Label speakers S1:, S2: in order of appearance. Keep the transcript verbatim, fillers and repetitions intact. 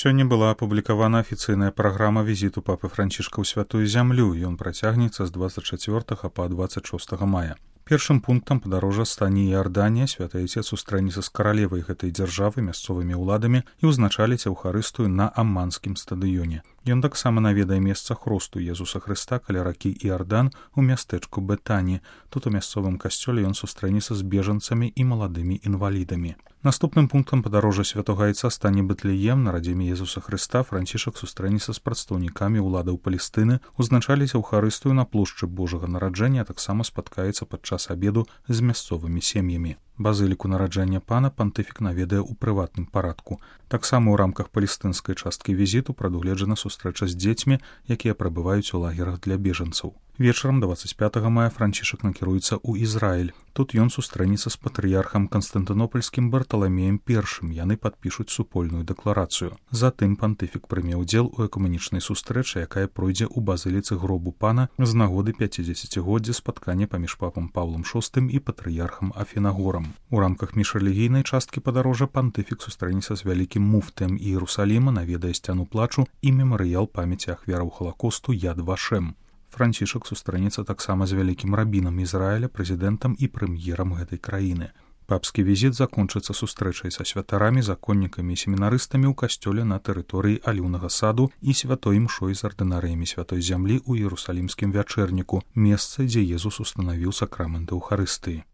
S1: Сёння была апублікавана афіцыйная праграма візіту папы Францішка ў святую зямлю, ён працягнецца з дваццаць чацвёртага па дваццаць шостага мая. Першым пунктам падарожжа стане Іарданія, святы Айцец сустрэнецца з каралевай гэтай дзяржавы, мясцовымі ўладамі і ўзначаліць Еўхарыстыю на Амманскім стадыёне. Ён таксама наведае месца хросту Езуса Хрыста каля ракі Іардан у мястэчку Бетані. Тут у мясцовым касцёле ён сустрэнецца з бежанцамі і маладымі інвалідамі. Наступным пунктам падарожжа святога Айца стане Бэтлеем, на радзіме Езуса Хрыста Францішак сустрэнецца з прадстаўнікамі ўладаў Палестыны, узначаліць Еўхарыстыю на плошчы Божага нараджэння, а таксама спаткаецца падчас абеду з мясцовымі сем'ямі. Базыліку нараджэння пана пантыфік наведае ў прыватным парадку. Таксама ў рамках палестынскай часткі візіту прадугледжана сустрэча з дзецьмі, якія прабываюць у лагерах для бежанцаў. Вечарам дваццаць пятага мая Францішак накіруецца ў Ізраіль. Тут ён сустрэнецца з патрыярхам канстантынопольскім Барталамеем першым, яны падпішуць супольную дэкларацыю. Затым пантыфік прыме ўдзел у экуменічнай сустрэчы, якая пройдзе ў базыліцы гробу пана з нагоды пяцідзесяцігоддзя спаткання паміж папам Паўлам шостым і патрыярхам Афінагорам. У рамках міжрэлігійнай часткі падарожжа пантыфік сустрэнецца з вялікім муфтыем Іерусаліма, наведае сцяну плачу і мемарыял памяці ахвяраў Халакосту Яд Вашем. Францішак сустрэнецца таксама з вялікім рабінам Ізраіля, прэзідэнтам і прэм'ерам гэтай краіны. Папскі візіт закончыцца сустрэчай са святарамі, законнікамі і семінарыстамі ў касцёле на тэрыторыі Аліўнага саду і святой імшой з ардынарыямі святой зямлі ў Іерусалімскім вячэрніку, месца, дзе Езус устанавіў сакрамент Еўхарыстыі.